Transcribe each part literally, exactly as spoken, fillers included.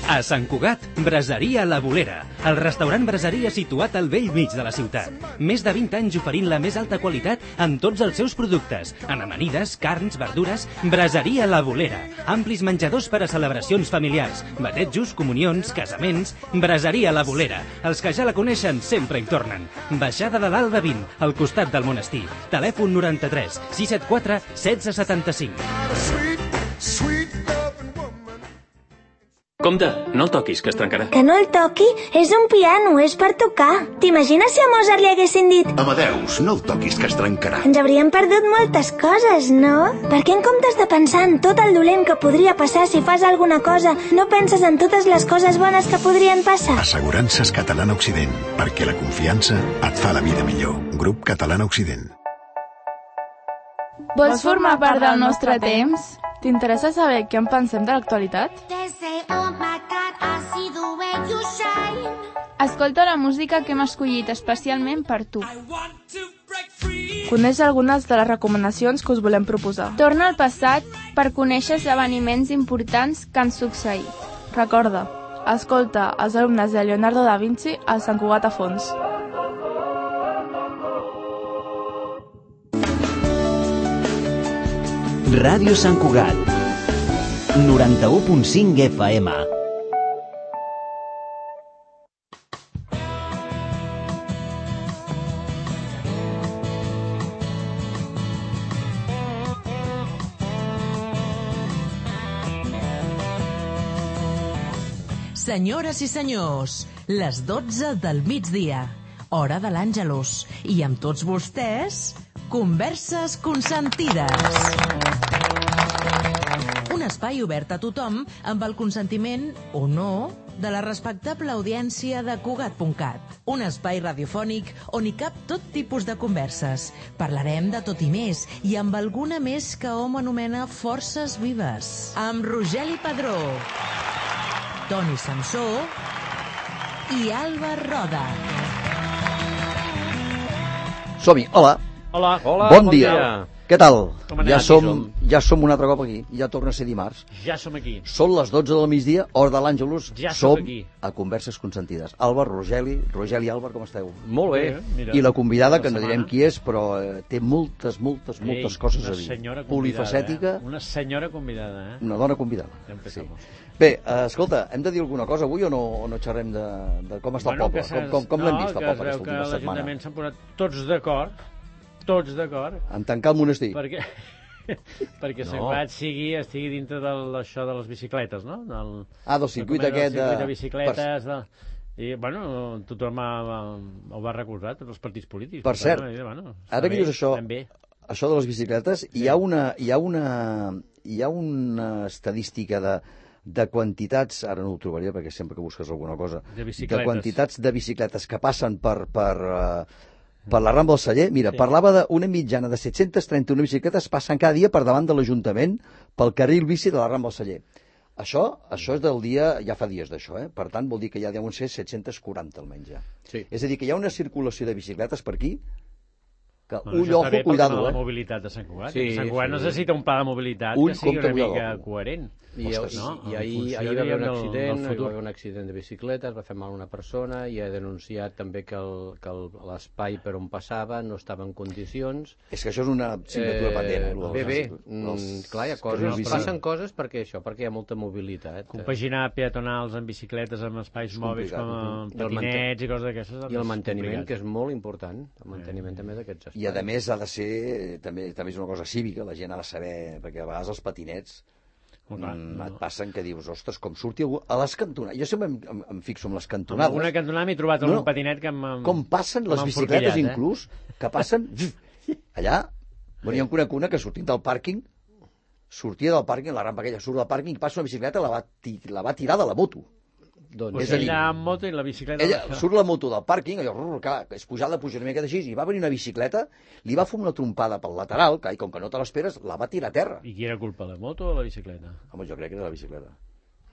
A Sant Cugat, Braseria La Bolera, el restaurant braseria situat al vell mig de la ciutat. Més de vint anys oferint la més alta qualitat en tots els seus productes, en amanides, carns, verdures. Braseria La Bolera, amplis menjadors per a celebracions familiars, batejos, comunions, casaments. Braseria La Bolera, els que ja la coneixen sempre hi tornen. Baixada de l'Alba vint, al costat del monestir. Telèfon noranta-tres sis set quatre setze setanta-cinc. Compte, no el toquis, que es trencarà. Que no el toqui? És un piano, és per tocar. T'imagines si a Mozart li haguessin dit Amadeus, no el toquis, que es trencarà? Ens hauríem perdut moltes coses, no? Per què en comptes de pensar en tot el dolent que podria passar si fas alguna cosa, no penses en totes les coses bones que podrien passar? Assegurances Catalana Occident, perquè la confiança et fa la vida millor. Grup Catalana Occident. Vols formar part del nostre temps? T'interessa saber què en pensem de l'actualitat? Escolta la música que hem escollit especialment per tu. Coneix algunes de les recomanacions que us volem proposar. Torna al passat per conèixer esdeveniments importants que han succeït. Recorda, escolta els alumnes de Leonardo da Vinci al Sant Cugat a fons. Ràdio Sant Cugat, noranta-u punt cinc F M. Senyores i senyors, les dotze del migdia, hora de l'Àngelus, i amb tots vostès, Converses Consentides. Un espai obert a tothom amb el consentiment, o no, de la respectable audiència de Cugat punt cat. Un espai radiofònic on hi cap tot tipus de converses. Parlarem de tot i més, i amb alguna més que hom anomena forces vives. Amb Rogeli Padró, Toni Samsó i Alba Roda. Som-hi, hola. Hola. Hola, bon, bon dia. dia. Què tal? Ja som, som? ja som un altre cop aquí. Ja torna a ser dimarts. Ja som aquí. Són les dotze del migdia, hora de l'Àngelus. Ja som aquí. A Converses Consentides. Àlvar, Rogeli, Rogeli i Àlvar, com esteu? Molt bé. Mira, I la convidada, que no direm qui és, però eh, té moltes, moltes, moltes Ei, coses a dir. Polifacètica. Eh? Una senyora convidada, eh? Una dona convidada. Sí. Bé, uh, escolta, hem de dir alguna cosa avui o no, o no xerrem de, de com està bueno, el poble? Com, com, com no, l'hem vist el poble aquesta última setmana? Que l'Ajuntament s'han posat tots d'acord, tots d'acord. En tancar el monestir. Perquè, perquè no. Sant Cugat sigui, estigui dintre d'això de les bicicletes, no? Del, ah, del circuit del aquest de... Del circuit de de bicicletes, de... I, bueno, tothom ha, ha, ho va recolzar, tots els partits polítics. Per cert, bueno, ara que dius això, això de les bicicletes, sí. hi, ha una, hi, ha una, hi ha una estadística de... de quantitats, ara no ho trobaria perquè sempre que busques alguna cosa, de, de quantitats de bicicletes que passen per, per, uh, per la Rambla del Celler. Mira, sí. parlava d'una mitjana de set-cents trenta-una bicicletes passen cada dia per davant de l'Ajuntament pel carril bici de la Rambla del Celler. Això, això és del dia, ja fa dies d'això, eh? Per tant vol dir que ja deuen ser set-cents quaranta almenys ja. Sí. És a dir, que hi ha una circulació de bicicletes per aquí que bueno, ull, ojo, cuidado, eh? La mobilitat de Sant Cugat. Sí, Sant Cugat sí. necessita un pla de mobilitat ull, que sigui compte, una mica cuidado. coherent. I, Ostres, i, no? i ahir, ahir va haver un accident, hi va haver un accident de bicicleta, es va fer mal a una persona i ha denunciat també que l'espai per on passava no estava en condicions. És que això és una signatura eh, pendent. Bé, bé, els, clar, hi ha coses, passen coses perquè això, perquè hi ha molta mobilitat. Compaginar peatonals amb bicicletes, amb espais mòbils com amb patinets i coses d'aquestes. I el manteniment, que és molt important, el manteniment també d'aquests espais. I a més ha de ser, també, també és una cosa cívica, la gent ha de saber, perquè a vegades els patinets Clar, mm, no. et passen que dius, ostres, com surti algú a les cantonades. Jo sempre em, em, em fixo en les cantonades. En alguna cantonada m'he trobat no, un patinet que m'ha... Com passen les bicicletes eh? inclús, que passen allà. Bueno, hi ha una cuna que sortint del pàrquing, sortia del pàrquing, la rampa aquella surt del pàrquing, passa una bicicleta, la va, la va tirar de la moto. Doncs és a dir, ella amb moto i la bicicleta... Ella surt la moto del pàrquing, allò, clar, és pujada, puja una mica d'així, i va venir una bicicleta, li va fer una trompada pel lateral, que com que no te l'esperes, la va tirar a terra. I qui era culpa, la moto o la bicicleta? Home, jo crec que era la bicicleta.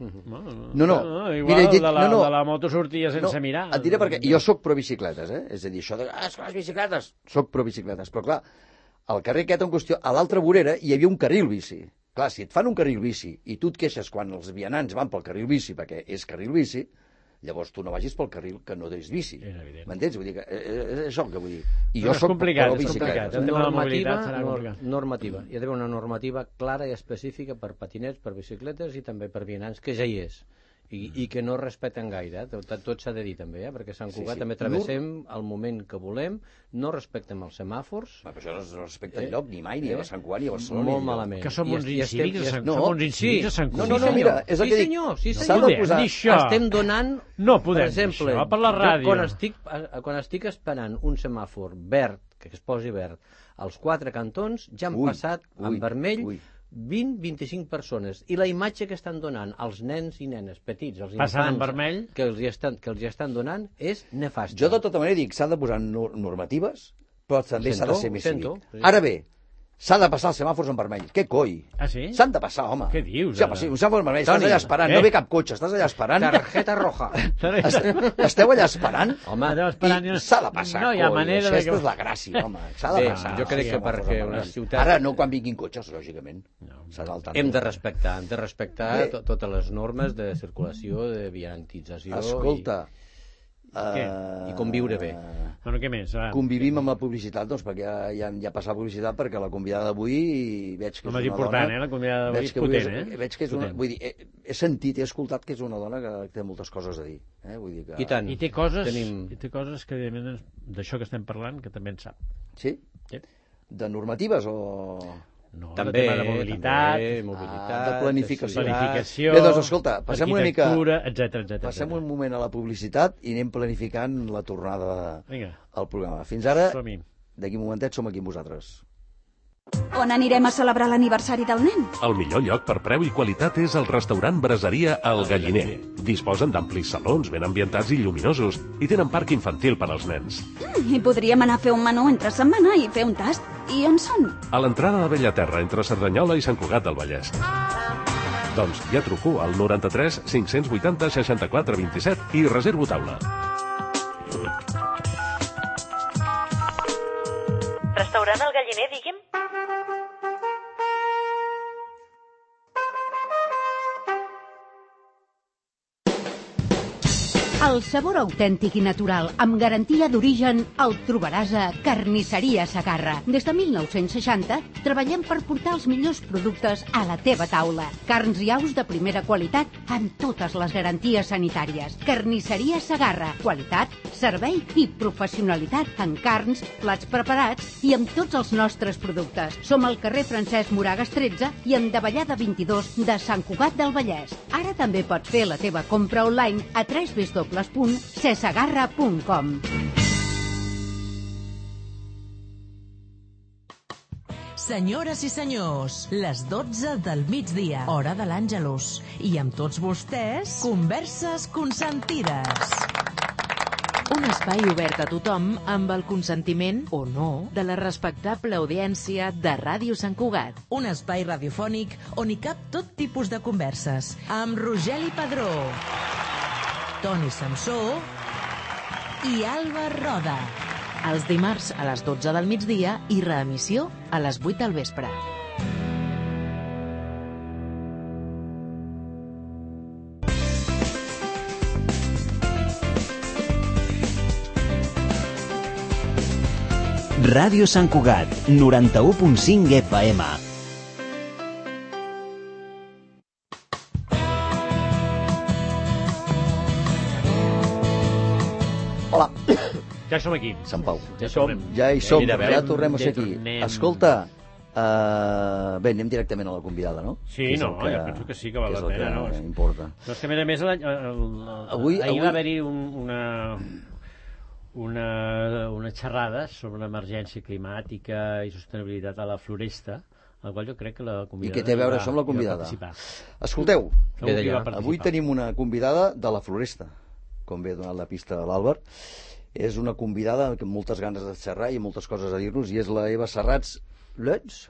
No, no, no, no. no igual Mira, de, la, no, no. de la moto sortia sense no, mirar. Et diré perquè jo sóc pro bicicletes, eh? És a dir, això de, ah, és que les bicicletes, sóc pro bicicletes, però clar, al carrer aquest en qüestió, a l'altra vorera hi havia un carril bici. Clar, si et fan un carril bici i tu et queixes quan els vianants van pel carril bici, perquè és carril bici, llavors tu no vagis pel carril que no és bici. M'entens? Vull dir que és això que vull dir. I jo soc pro bicicleta. Normativa, normativa. Hi ha d'haver una normativa clara i específica per patinets, per bicicletes i també per vianants, que ja hi és. I, i que no respecten gaire, eh? tot, tot s'ha de dir també, eh? Perquè Sant Cugat sí, sí. també travessem el moment que volem, no respectem els semàfors. Ma, però això no respecta eh? lloc, ni mai, ni eh? a Sant Cugat, ni a Barcelona. Molt ni malament. Que som uns incívics a Sant Cugat. No, no, no, mira, és el que dic. Sí, senyor, sí, senyor. Estem donant, no podem per exemple, això, per la ràdio. Quan estic, quan estic esperant un semàfor verd, que es posi verd, als quatre cantons ja han ui, passat ui, en vermell ui. vint a vint-i-cinc persones. I la imatge que estan donant als nens i nenes petits, els infants vermell, que els, hi estan, que els hi estan donant, és nefast. Jo de tota manera dic, s'han de posar normatives, però també s'ha de ser més cívic. Ara bé, s'ha de passar els semàfors en vermell. Què coi? Ah, sí? S'han de passar, home. Què dius? Sí, home, sí, un semàfor en vermell, estàs allà esperant, eh? No ve cap cotxe, estàs allà esperant. Tarjeta roja. Esteu allà esperant? Home, i s'ha de passar, no hi ha manera coi. Aquesta és la gràcia, home. S'ha de passar. Jo crec que perquè una ciutat... Ara no quan vinguin cotxes, lògicament. Hem de respectar, hem de respectar totes les normes de circulació, de viantització... Escolta... Uh, i conviure bé. Bueno, què més? Va. Convivim amb la publicitat, doncs, perquè ja, ja, ja ha passat publicitat, perquè la convidada d'avui veig que és una dona... important, eh? La convidada d'avui és potent, eh? Veig que és una... Vull dir, he, he sentit, he escoltat que és una dona que té moltes coses a dir. Eh? Vull dir que... I tant. I té coses, Tenim... i té coses que, d'això que estem parlant, que també en sap. Sí? Sí. De normatives o...? No, també, de mobilitat, també, mobilitat ah, de planificació. planificació Bé, doncs, escolta, passem una mica... etcètera, etcètera. Passem un moment a la publicitat i anem planificant la tornada Vinga. al programa. Fins ara, Som-hi. d'aquí un momentet, som aquí amb vosaltres. On anirem a celebrar l'aniversari del nen? El millor lloc per preu i qualitat és el restaurant Braseria El Galliner. Disposen d'amplis salons ben ambientats i lluminosos i tenen parc infantil per als nens. Mm, I podríem anar a fer un menú entre setmana i fer un tast. I on són? A l'entrada de Bellaterra, entre Cerdanyola i Sant Cugat del Vallès. Doncs ja truco al noranta-tres cinc-cents vuitanta seixanta-quatre vint-i-set i reservo taula. Restaurant El Galliner, digui'm? El sabor autèntic i natural, amb garantia d'origen, el trobaràs a Carnisseria Segarra. Des de mil nou-cents seixanta treballem per portar els millors productes a la teva taula. Carns i aus de primera qualitat amb totes les garanties sanitàries. Carnisseria Segarra. Qualitat, servei i professionalitat en carns, plats preparats i amb tots els nostres productes. Som al carrer Francesc Moragas tretze i en Davallada vint-i-dos de Sant Cugat del Vallès. Ara també pots fer la teva compra online a w w w punt cesegarra punt com. Senyores i senyors, les dotze del migdia, hora de l'Àngelus. I amb tots vostès, Converses Consentides. Un espai obert a tothom amb el consentiment, o no, de la respectable audiència de Ràdio Sant Cugat. Un espai radiofònic on hi cap tot tipus de converses. Amb Rogeli Padró, Toni Samsó i Alba Roda. Els dimarts a les dotze del migdia i reemissió a les vuit del vespre. Ràdio Sant Cugat, noranta-u punt cinc F M. Hola. Ja som aquí. Sant Pau. Ja som. Ja hi som, ja, ja tornem a ser aquí. Escolta, uh, bé, anem directament a la convidada, no? Sí, no, que, jo penso que sí, que val que la pena. No, no? importa. No, és que a més a més, el, el, el, avui, ahir avui... va haver-hi un, una... Una, una xerrada sobre l'emergència climàtica i sostenibilitat a la Floresta, al qual jo crec que la convidada... I què té a veure això amb la convidada? Escolteu, avui tenim una convidada de la Floresta, com bé ha donat la pista de l'Àlvar. És una convidada amb moltes ganes de xerrar i moltes coses a dir-nos, i és la Eva Serrats Lutz.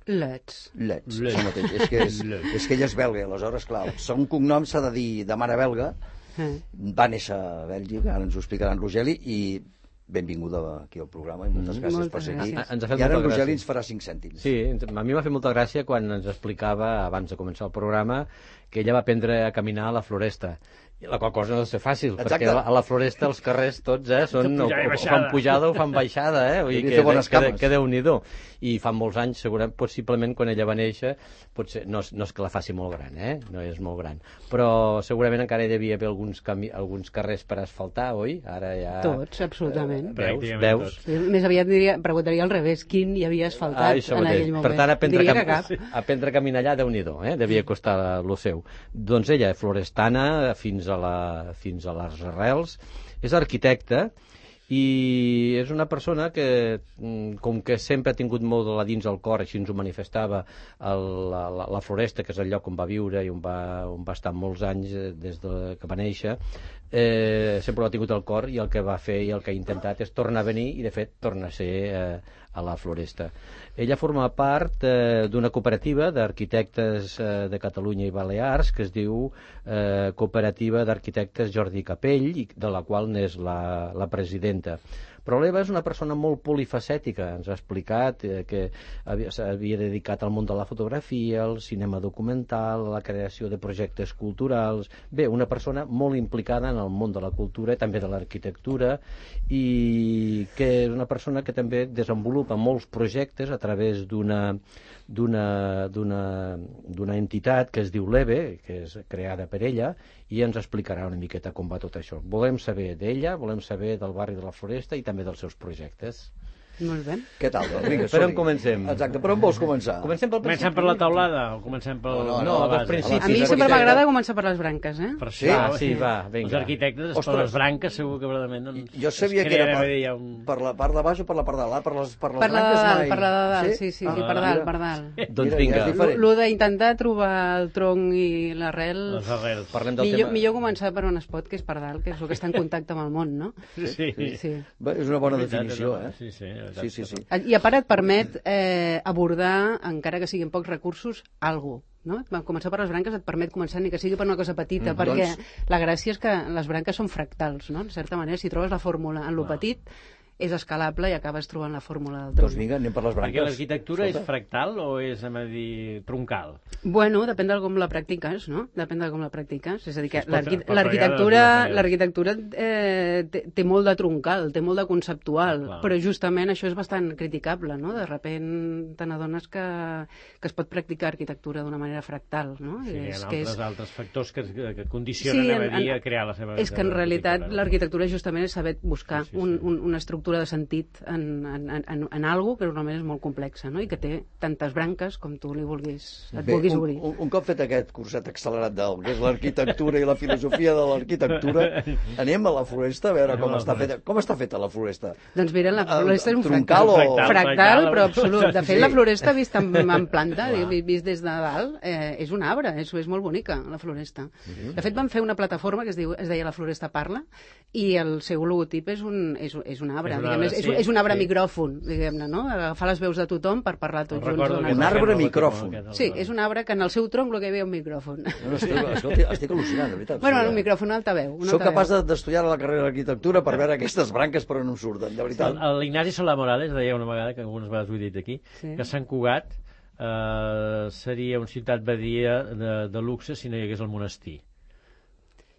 Lutz. Lutz, això mateix. És que, és, és que ella és belga, aleshores, clar, el segon cognom s'ha de dir de mare belga. Va néixer a Bèlgica, ara ens ho explicarà en Rogeli, i benvinguda aquí al programa i moltes gràcies Moltes per ser aquí. gràcies. Ens ha fet I ara en molta Rogeli gràcia. ens farà cinc cèntims. Sí, a mi m'ha fet molta gràcia quan ens explicava, abans de començar el programa, que ella va aprendre a caminar a la Floresta. La qual cosa no deu ser fàcil, Exacte. perquè a la Floresta els carrers tots eh, són, o, o fan pujada o fan baixada, eh? Vull dir que, bones que, que, cames. que Déu-n'hi-do. I fa molts anys, segurament, possiblement quan ella va néixer, potser, no, és- no és que la faci molt gran, eh? No és molt gran, però segurament encara hi devia haver alguns, cami alguns carrers per asfaltar, oi? Ara ja... Tots, absolutament. Eh, veus, veus? Sí, més aviat diria, preguntaria al revés, quin hi havia asfaltat Ah, això en mateix. aquell moment. Per tant, aprendre, Diria a, que cap. cam... aprendre a caminar allà, Déu-n'hi-do, eh? Devia costar lo seu. Doncs ella, florestana, fins a, la, fins a les arrels, és arquitecta i és una persona que, mm, com que sempre ha tingut molt de la dins al cor, així ens ho manifestava el, la, la, la Floresta, que és el lloc on va viure i on va, on va estar molts anys eh, des de que va néixer, eh, sempre ho ha tingut al cor, i el que va fer i el que ha intentat és tornar a venir, i de fet torna a ser eh, a la Floresta. Ella forma part eh, d'una cooperativa d'arquitectes eh, de Catalunya i Balears que es diu eh, Cooperativa d'Arquitectes Jordi Capell, i de la qual n'és la, la presidenta. Però l'Eva és una persona molt polifacètica. Ens ha explicat eh, que havia- s'havia dedicat al món de la fotografia, al cinema documental, a la creació de projectes culturals. Bé, una persona molt implicada en el món de la cultura i també de l'arquitectura, i que és una persona que també desenvolupa molts projectes a través d'una d'una d'una d'una entitat que es diu l'EVE, que és creada per ella, i ens explicarà una miqueta com va tot això. Volem saber d'ella, volem saber del barri de la Floresta i també dels seus projectes. Molt bé. Què tal, doncs? Vinga, Per on som-hi. comencem? Exacte, per on vols començar? Comencem pel Comencem per la taulada o comencem pel... No, no, no, la dels base? principis. A mi sempre m'agrada començar per les branques, eh? Per Sí? Ah, sí, va, vinga. Els arquitectes, Ostres. per les branques, segur que verdaderament... Doncs, Jo sabia es que era crea, per, va dir, ja un... per la part de baix o per la part de dalt. Per les, per les Per la de branques dalt, mai. per la de dalt, sí, sí, Ah, sí, per dalt, mira. per dalt. Doncs Mira, vinga. ja és diferent. Lo d'intentar trobar el tronc i l'arrel... Les arrels. Parlem del Millor, tema... millor començar per on es pot, que és per dalt, que és el que està en contacte amb el món, no? Sí. Sí. Bé, és una bona És veritat, definició, és una- eh? sí, sí, és sí, sí, sí. I a part et permet eh, abordar, encara que siguin pocs recursos, alguna cosa. No? Començar per les branques et permet començar ni que sigui per una cosa petita, Mm, perquè doncs- la gràcia és que les branques són fractals, no? En certa manera, si trobes la fórmula en lo petit, és escalable i acabes trobant la fórmula del tronc. Doncs vinga, anem per les Perquè branques. l'arquitectura és Escolta. fractal o és, anem a dir, troncal? Bueno, depèn de com la practiques, no? Depèn de com la practiques. És a dir, que Es pot- l'arqui- pot fregar de l'arquitectura dues maneres. l'arquitectura eh, té, té molt de troncal, té molt de conceptual, Clar. però justament això és bastant criticable, no? De repent te n'adones que, que es pot practicar arquitectura d'una manera fractal, no? Sí, hi ha és, altres, és... altres factors que, que condicionen Sí, a, en- dir, en- a crear la seva... És que en realitat arquitectura, no? l'arquitectura justament és saber buscar Sí, sí, un, sí. un, una estructura de sentit en, en, en, en, en algo que normalment és molt complexa, no? I que té tantes branques com tu li vulguis, et Bé, vulguis un, obrir. un, un cop fet aquest curset accelerat del que és l'arquitectura i la filosofia de l'arquitectura, anem a la floresta a veure Anem com a la està floresta. feta. Com està feta la floresta? Doncs mira, la Ah, floresta és un troncal fractal. o- Fractal, Fractal, però absolut. De fet, sí. la floresta vista en, en planta, vi- vist des de dalt, eh, és un arbre, és, és molt bonica, la floresta. De fet, van fer una plataforma que es, diu, es deia La Floresta Parla, i el seu logotip és un, és, és un arbre, És un diguem, arbre, és, és, sí, és un arbre sí. micròfon, diguem-ne, no? Agafar les veus de tothom per parlar tots junts. Recordo d'una que Un cosa. arbre aquest micròfon. aquest, Sí, és un arbre que en el seu tronc el que hi havia un micròfon. No, no, estic, escolti, estic al·lucinant, de veritat. Bueno, Sí, un micròfon, un altaveu. Un Soc altaveu. capaç de- d'estudiar la carrera d'arquitectura per veure aquestes branques per on em surten, de veritat. El- L'Ignasi Solà Morales deia una vegada, que algunes vegades ho he dit aquí, Sí. que Sant Cugat eh, seria una ciutat badia de, de luxe si no hi hagués el monestir.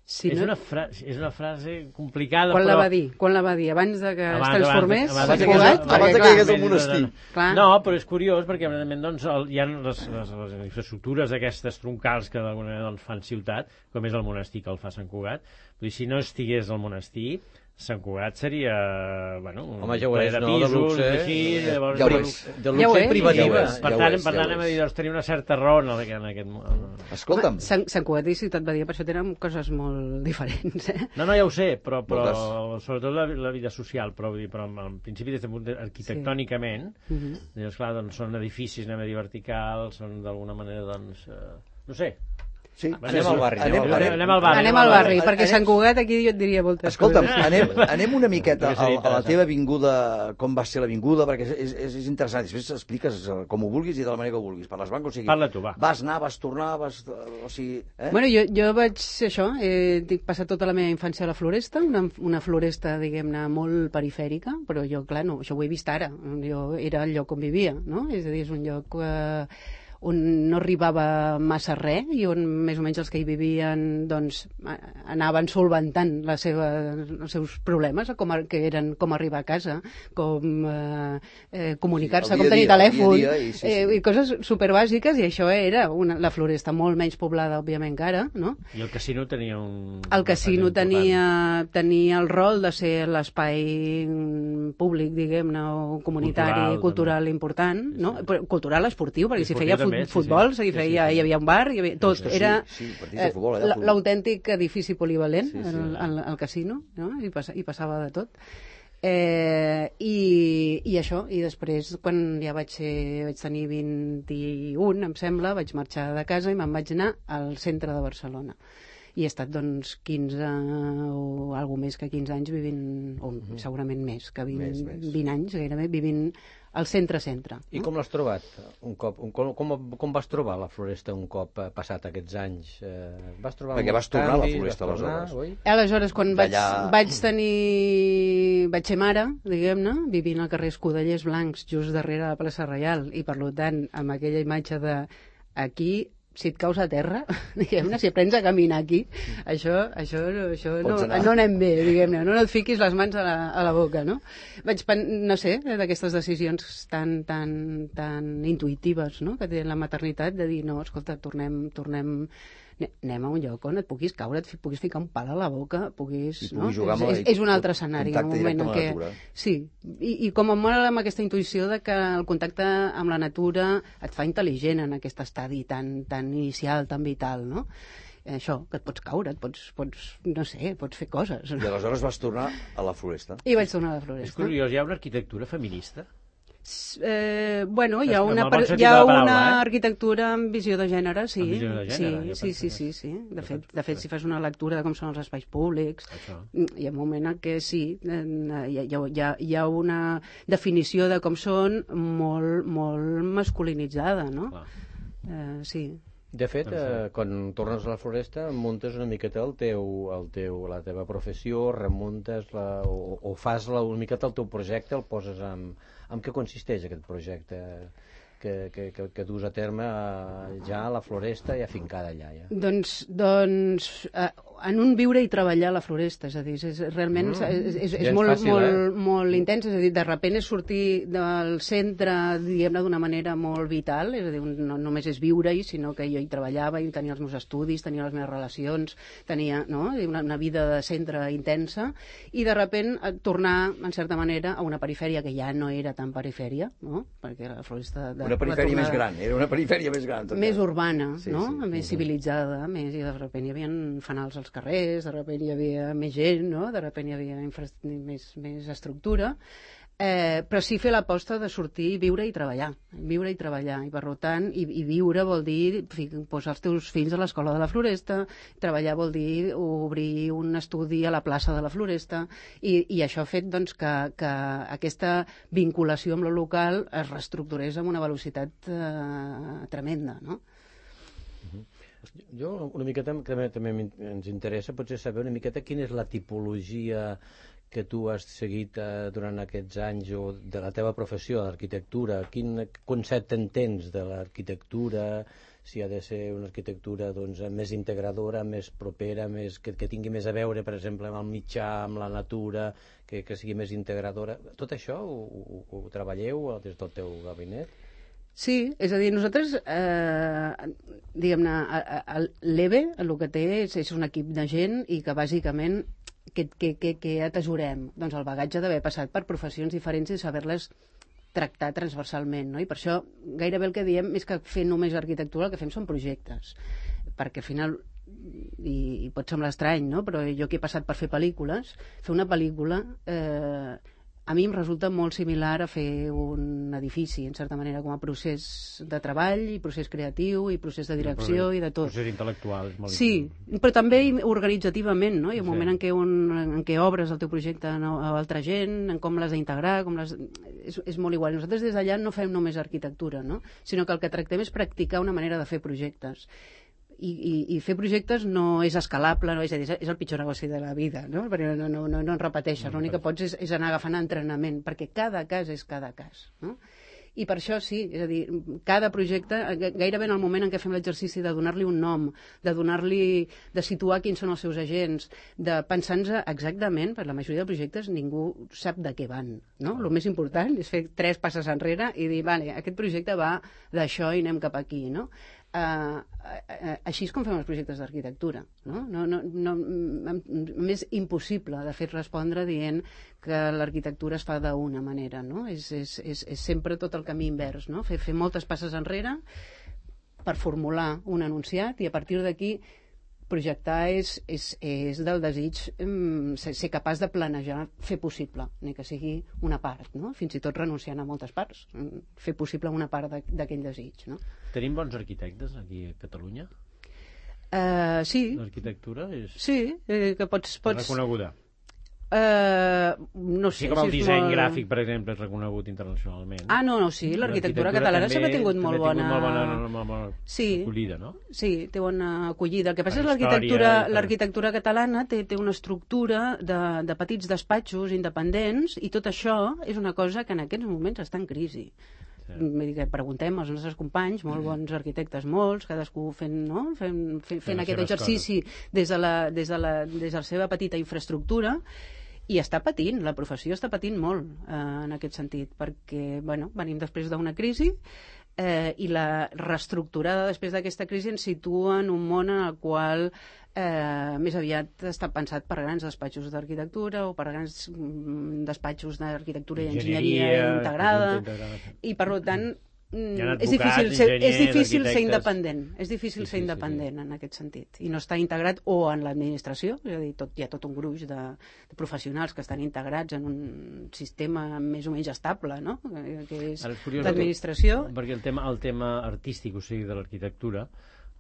Si és, no- una fra és una frase complicada, Quan però... la va dir? Quan la va dir? Abans de que Abans- es transformés? abans- Sant abans- Cugat? abans- abans Perquè, que clar, hi hagués el monestir. Clar. No, però és curiós perquè evidentment doncs, el, hi ha les, les, les infraestructures aquestes troncals que d'alguna manera doncs, fan ciutat, com és el monestir que el fa Sant Cugat. Vull dir, si no estigués el monestir, Sant Cugat seria, bueno, un Home, ja ho ple és, de no? De pisos, luxe, així, llavors, ja ho de és. luxe. De Ja ho luxe és, i privativa. ja ho és. Per Ja tant, ho és, per ja ho tant, hem de és. dir, doncs, tenia una certa raó en aquest... En aquest... Escolta'm, Sant, Sant Cugat i Ciutat Badia per això tenen coses molt diferents, eh? No, no, ja ho sé, però, però Moltes. sobretot la, la vida social, però, vull dir, però en, en principi, des de punt de, arquitectònicament, Uh -huh. doncs, clar, doncs, són edificis, anem a dir, verticals, són d'alguna manera, doncs, eh, no sé, Sí. Anem al barri. Anem, anem, anem, anem al barri. Anem al barri, perquè Sant Cugat aquí jo et diria moltes Escolta'm, coses. anem, anem una miqueta Perquè a, seria a la interessant. teva vinguda, com va ser l'avinguda, perquè és, és, és interessant. Després expliques com ho vulguis i de la manera que ho vulguis. Parles blanc, o sigui... Parla tu, va. Vas anar, vas tornar, vas... O sigui... Eh? Bueno, jo, jo vaig, això, he passat tota la meva infància a la Floresta, una, una floresta, diguem-ne, molt perifèrica, però jo, clar, no, això ho he vist ara. Jo era el lloc on vivia, no? És a dir, és un lloc... Eh, on no arribava massa res i on més o menys els que hi vivien doncs, anaven solventant la seva, els seus problemes, com a, que eren com arribar a casa, com eh, eh, comunicar-se, Sí, com tenir dia, telèfon, dia, dia, i, sí, sí. Eh, i coses superbàsiques, i això era una, la Floresta molt menys poblada, òbviament, que ara, no? I el casino tenia un... El casino tenia, tenia el rol de ser l'espai públic, diguem-ne, o comunitari, cultural, cultural important, no? Però cultural, esportiu, perquè si feia també, futbol, sí, sí. s'hi feia, Sí, sí, sí. hi havia un bar, hi havia, tot, Sí, sí, era sí, partits de futbol, eh, allà, l'autèntic edifici polivalent, Sí, sí. el, el, el casino, no? I, passa, i passava de tot. Eh, i, i això, i després quan ja vaig, ser, vaig tenir vint-i-un, em sembla, vaig marxar de casa i me'n vaig anar al centre de Barcelona. I he estat, doncs, quinze o alguna més que quinze anys vivint, o uh-huh. segurament més, que vint, Més, més. vint anys gairebé, vivint al centre-centre. I com l'has trobat? Un cop, un, com, com, com vas trobar la Floresta un cop eh, passat aquests anys? Eh, vas trobar Perquè vas molts tornar a la canvis, Floresta, vas tornar, aleshores. oi? Aleshores, quan vaig, D'allà- vaig tenir... vaig ser mare, diguem-ne, vivint al carrer Escudellers Blancs, just darrere la plaça Reial, i per tant, amb aquella imatge de aquí, si et caus a terra, diguem-ne, si aprens a caminar aquí, això, això, això no, Pots anar. no anem bé, diguem-ne, no et fiquis les mans a la, a la boca, no? Vaig, pen- no sé, d'aquestes decisions tan, tan, tan intuïtives, no?, que té la maternitat, de dir, no, escolta, tornem, tornem, anem a un lloc on et puguis caure, et fi- puguis ficar un pal a la boca, puguis... I no? puguis jugar amb és, la- és, és un altre escenari, un contacte moment directe en amb la què... natura. Sí, i, i com em mola amb aquesta intuïció de que el contacte amb la natura et fa intel·ligent en aquest estadi tan, tan inicial, tan vital, no? Això, que et pots caure, et pots, pots, no sé, pots fer coses. I aleshores vas tornar a la Floresta. I vaig tornar a la És Floresta. curiós, hi ha una arquitectura feminista? Eh, bueno, hi ha Amb el una, bon per, sentit hi ha de la paraula, una eh? arquitectura amb visió de gènere, sí. Amb visió de gènere, jo sí, sí, penso sí, que- sí, sí. De jo fet, penso de fet, que- si fas una lectura de com són els espais públics, Això. hi ha un moment en què sí, eh, hi ha, hi ha, hi ha una definició de com són molt, molt masculinitzada, no? Clar. Eh, sí. De fet, eh, quan tornes a la Floresta, muntes una miqueta el teu, el teu, la teva professió, remuntes la, o, o fas la, una miqueta el teu projecte, el poses amb... En què consisteix aquest projecte que, que, que, que dus a terme eh, ja a la Floresta i afincada allà? Ja? Doncs, doncs eh, en un viure i treballar a la Floresta, és a dir, és, realment Mm. és, és, és Gens molt, fàcil, molt, eh? molt intens, és a dir, de repent és sortir del centre, diguem-ne, d'una manera molt vital, és a dir, un- no només és viure-hi, sinó que jo hi treballava, i tenia els meus estudis, tenia les meves relacions, tenia no? una, una vida de centre intensa, i de repent eh, tornar, en certa manera, a una perifèria que ja no era tan perifèria, no? Perquè la Floresta... De, Una perifèria va tornar- més gran, era una perifèria més gran. tot més i- urbana, Sí, no? sí. Més civilitzada, més, i de sobte hi havia fanals als carrers, de sobte hi havia més gent, no? De sobte hi havia infra... més, més estructura, eh, però sí fer l'aposta de sortir, viure i treballar, viure i treballar, i per tant, i, i viure vol dir fi, posar els teus fills a l'escola de la Floresta, treballar vol dir obrir un estudi a la plaça de la Floresta, i, i això ha fet doncs, que, que aquesta vinculació amb lo local es reestructurés amb una velocitat eh, tremenda, no? Jo una miqueta també, també m'in- ens interessa potser saber una miqueta quina és la tipologia que tu has seguit eh, durant aquests anys o de la teva professió, l'arquitectura. Quin concepte entens de l'arquitectura, si ha de ser una arquitectura doncs, més integradora, més propera, més, que, que tingui més a veure, per exemple, amb el mitjà, amb la natura, que, que sigui més integradora. Tot això ho, ho, ho treballeu des del teu gabinet? Sí, és a dir, nosaltres, eh, diguem-ne, l'E B E el que té és, és un equip de gent i que bàsicament que, que, que, que atesorem? Doncs el bagatge d'haver passat per professions diferents i saber-les tractar transversalment, no? I per això gairebé el que diem és que fer només arquitectura el que fem són projectes, perquè al final i, i pot semblar estrany, no? Però jo que he passat per fer pel·lícules, fer una pel·lícula eh, a mi em resulta molt similar a fer un edifici, en certa manera, com a procés de treball, i procés creatiu, i procés de direcció, i de tot. Procés intel·lectual. És molt sí, però també organitzativament, no? Hi ha un Sí. moment en què, un, en què obres el teu projecte a a altra gent, en com l'has d'integrar, com les... és, és molt igual. Nosaltres des d'allà no fem només arquitectura, no? Sinó que el que tractem és practicar una manera de fer projectes. I, i, i fer projectes no és escalable, no? És, a dir, és el pitjor negoci de la vida, no? Perquè no, no, no, no en repeteixes, l'únic que pots és, és anar agafant entrenament, perquè cada cas és cada cas, no? I per això sí, és a dir, cada projecte, gairebé en el moment en què fem l'exercici de donar-li un nom, de donar-li, de situar quins són els seus agents, de pensar-nos exactament, per la majoria de projectes ningú sap de què van, no? El més important és fer tres passes enrere i dir, vale, aquest projecte va d'això i anem cap aquí, no? Uh, uh, així és com fem els projectes d'arquitectura, no? No, no, no, m'és impossible de fer respondre dient que l'arquitectura es fa d'una manera, no? És, és, és, és sempre tot el camí invers, no? Fer, fer moltes passes enrere per formular un enunciat i a partir d'aquí projectar és, és, és del desig um, ser, ser capaç de planejar, fer possible, ni que sigui una part, no? Fins i tot renunciant a moltes parts, fer possible una part d'aquell desig, no? Tenim bons arquitectes aquí a Catalunya? Uh, sí. L'arquitectura és... Sí, eh, que pots... pots... reconeguda. Uh, no sé, sí, com el si disseny molt... gràfic, per exemple, és reconegut internacionalment. Ah, no, no, sí, l'arquitectura catalana sempre ha tingut molt bona... molt bona, molt bona sí, acollida, no? Sí, té bona acollida. El que passa per és que l'arquitectura per... l'arquitectura catalana té, té una estructura de, de petits despatxos independents i tot això és una cosa que en aquests moments està en crisi. Sí. Vull dir que preguntem als nostres companys, molt bons arquitectes, molts, cadascú fent, no? fent, fent, fent aquest exercici des de, la, des, de la, des de la seva petita infraestructura, i està patint, la professió està patint molt eh, en aquest sentit, perquè bueno, venim després d'una crisi eh, i la reestructurada després d'aquesta crisi ens situa en un món en el qual eh, més aviat està pensat per grans despatxos d'arquitectura o per grans mm, despatxos d'arquitectura i enginyeria integrada, integrada i per tant és difícil, ser, és difícil ser independent, és difícil sí, ser independent sí, sí. en aquest sentit, i no està integrat o en l'administració, és a dir, tot, hi ha tot un gruix de, de professionals que estan integrats en un sistema més o menys estable, no? Que és l'administració. Perquè el tema, el tema artístic, o sigui, de l'arquitectura,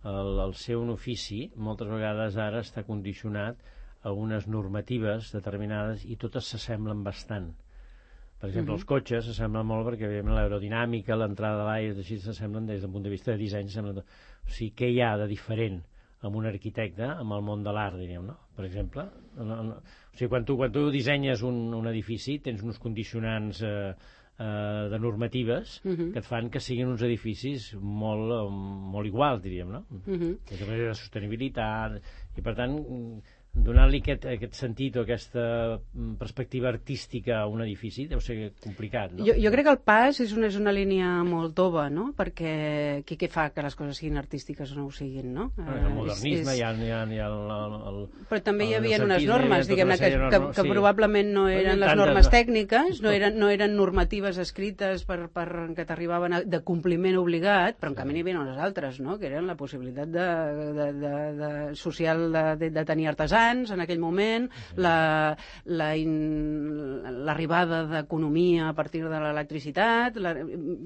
el, el ser un ofici, moltes vegades ara està condicionat a unes normatives determinades i totes s'assemblen bastant. Per exemple, uh-huh. els cotxes s'assemblen molt perquè l'aerodinàmica, l'entrada de l'aire, així s'assemblen des del punt de vista de disseny. O sigui, què hi ha de diferent amb un arquitecte, amb el món de l'art, diríem, no? Per exemple, no, no. O sigui, quan tu, quan tu dissenyes un, un edifici tens uns condicionants eh, eh, de normatives uh-huh. que et fan que siguin uns edificis molt, molt iguals, diríem, no? Uh-huh. Des de la sostenibilitat, i per tant donar-li aquest, aquest sentit o aquesta perspectiva artística a un edifici deu ser complicat, no? Jo, jo crec que el pas és una, és una línia molt tova, no? Perquè què, què fa que les coses siguin artístiques o no ho siguin, no? El modernisme, és, és... hi ha, hi ha, hi ha el, el, el... Però també hi havia unes normes, diguem-ne, que, que, que sí. probablement no eren les normes de... tècniques, no eren, no eren normatives escrites per, per que t'arribaven de compliment obligat, però en canvi n'hi havia unes altres, no? Que eren la possibilitat de, de, de, de social de, de, de tenir artesans en aquell moment, la, la in, l'arribada d'economia a partir de l'electricitat, la,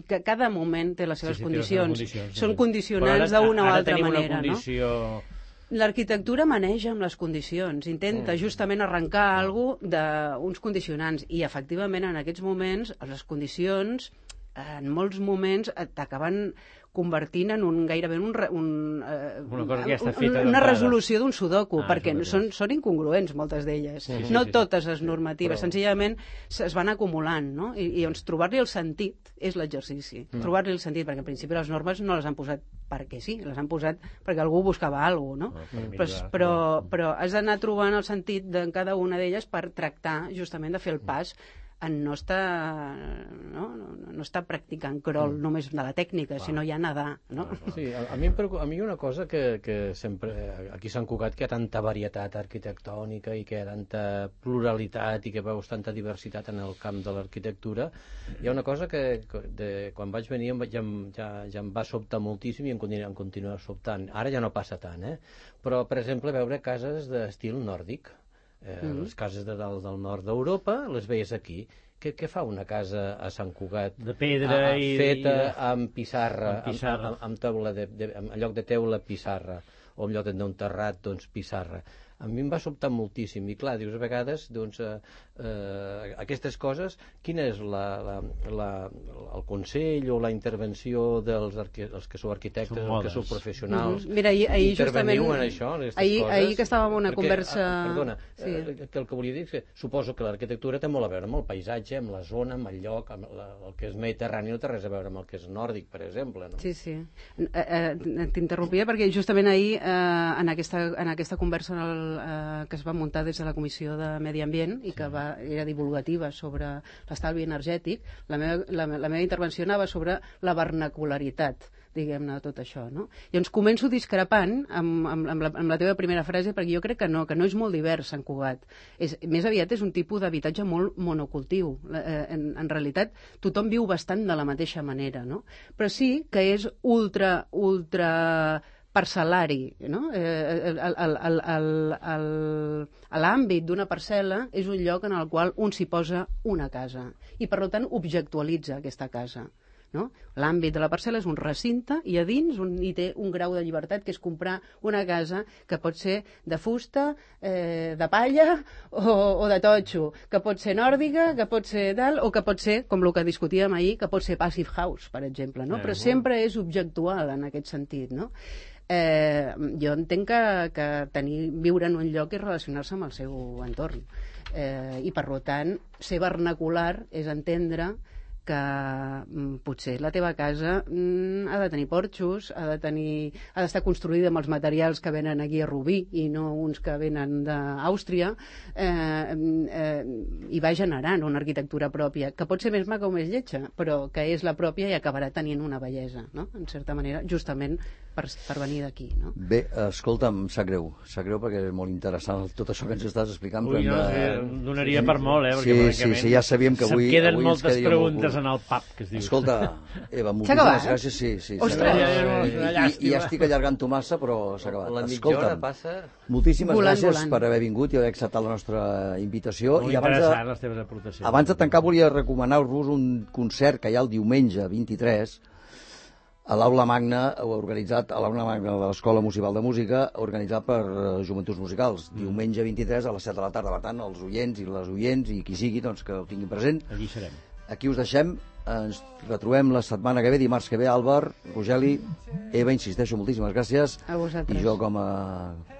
que cada moment té les seves sí, sí, condicions. Les condicions. Són condicionants d'una o altra manera. Condició... No? L'arquitectura maneja amb les condicions, intenta mm. justament arrencar mm. alguna d'uns condicionants, i efectivament en aquests moments les condicions en molts moments t'acaben convertint en un gairebé un, un, uh, una, cosa que ja està feta una resolució d'un sudoku, ah, perquè són, són incongruents moltes d'elles. Sí, sí, no sí, totes les normatives, però... senzillament es van acumulant, no? I, i doncs trobar-li el sentit és l'exercici. Mm. Trobar-li el sentit, perquè en principi les normes no les han posat perquè sí, les han posat perquè algú buscava alguna cosa, no? no però, però, però has d'anar trobant el sentit de cada una d'elles per tractar justament de fer el pas en no està, no, no, no està practicant crawl mm. només de la tècnica, ah. sinó ja nedar, no? Sí, a, a mi em preocupa, a mi hi ha una cosa que, que sempre, aquí a Sant Cugat, que hi ha tanta varietat arquitectònica i que hi ha tanta pluralitat i que veus tanta diversitat en el camp de l'arquitectura, hi ha una cosa que de, quan vaig venir ja, ja, ja em va sobtar moltíssim i em continua, em continua sobtant. Ara ja no passa tant, eh? Però, per exemple, veure cases d'estil nòrdic, Eh, mm-hmm. les cases de dalt del nord d'Europa les veies aquí. Què què, què fa una casa a Sant Cugat? De pedra a, i... Feta i... amb pissarra, amb, pissarra. amb, amb, taula de, de, en lloc de teula, pissarra, o en lloc d'un terrat, doncs, pissarra. A mi em va sobtar moltíssim, i clar, dius, a vegades, doncs, eh, eh, aquestes coses, quina és la, la, la, el consell o la intervenció dels arqui, els que sou arquitectes, els que sou professionals? Mm-hmm. Mira, ahir, ahir justament... en això, en aquestes ahir, coses? ahir que estàvem en una perquè, conversa... Ah, perdona, sí. eh, que el que volia dir és que suposo que l'arquitectura té molt a veure amb el paisatge, amb la zona, amb el lloc, amb la, el que és mediterrani no té res a veure amb el que és nòrdic, per exemple, no? Sí, sí. Eh, eh, T'interrompia perquè justament ahir, eh, en, aquesta, en aquesta conversa en el, eh, que es va muntar des de la Comissió de Medi Ambient i que va, era divulgativa sobre l'estalvi energètic, la meva, la, la meva intervenció anava sobre la vernacularitat, diguem-ne, tot això, no? Llavors començo discrepant amb, amb, amb, la, amb la teva primera frase, perquè jo crec que no, que no és molt divers Sant Cugat. És, més aviat és un tipus d'habitatge molt monocultiu. Eh, en, en realitat, tothom viu bastant de la mateixa manera, no? Però sí que és ultra, ultra parcel·lari, no? Eh, l'àmbit d'una parcel·la és un lloc en el qual un s'hi posa una casa i, per tant, objectualitza aquesta casa. No? L'àmbit de la parcel·la és un recinte i a dins un, hi té un grau de llibertat que és comprar una casa que pot ser de fusta, eh, de palla o, o de totxo, que pot ser nòrdica, que pot ser tal, o que pot ser, com el que discutíem ahir, que pot ser passive house, per exemple, no? Però sempre és objectual en aquest sentit, no? Eh, jo entenc que, que tenir, viure en un lloc és relacionar-se amb el seu entorn, eh, i per tant ser vernacular és entendre que mm, potser la teva casa mm, ha de tenir porxos, ha de tenir, ha d'estar construïda amb els materials que venen aquí a Rubí i no uns que venen d'Àustria, eh, eh, i va generant una arquitectura pròpia, que pot ser més maca o més lletja, però que és la pròpia i acabarà tenint una bellesa, no? En certa manera, justament per, per venir d'aquí, no? Bé, escolta'm, sap greu, sap greu perquè és molt interessant tot això que ens estàs explicant. Ui, no, de... sí, donaria sí, per molt, eh? Sí, sí, sí, ja sabíem que avui... Se'm queden avui moltes preguntes en el pub, que es diu. Escolta, Eva, moltíssimes gràcies, sí, sí. Ostres! I, I ja estic allargant-ho massa, però s'ha acabat. La mitja hora passa... Moltíssimes volant, gràcies volant. per haver vingut i haver acceptat la nostra invitació. Molt I abans interessant, de, les teves aportacions. abans de tancar, volia recomanar-vos un concert que hi ha el diumenge vint-i-tres a l'Aula Magna, organitzat a l'Aula Magna de l'Escola Municipal de Música, organitzat per uh, Joventuts Musicals. Mm. Diumenge vint-i-tres a les set de la tarda. Per tant, els oients i les oients i qui sigui, doncs, que ho tinguin present. Allí serem. Aquí us deixem, ens retrobem la setmana que ve, dimarts que ve. Àlvar, Rogeli, Eva, insisteixo, moltíssimes gràcies. A vosaltres. I jo com a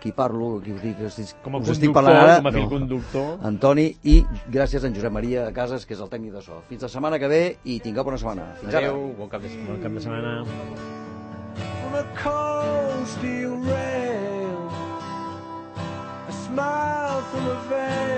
qui parlo, qui us dic, com a us estic conductor, parlant ara, com a fill no, conductor. Antoni, i gràcies a en Josep Maria Casas, que és el tècnic de so. Fins la setmana que ve i tingueu bona setmana. Fins ara. Adéu, bon cap de setmana. Bon cap de setmana. On a cold steel rail, a smile from a veil.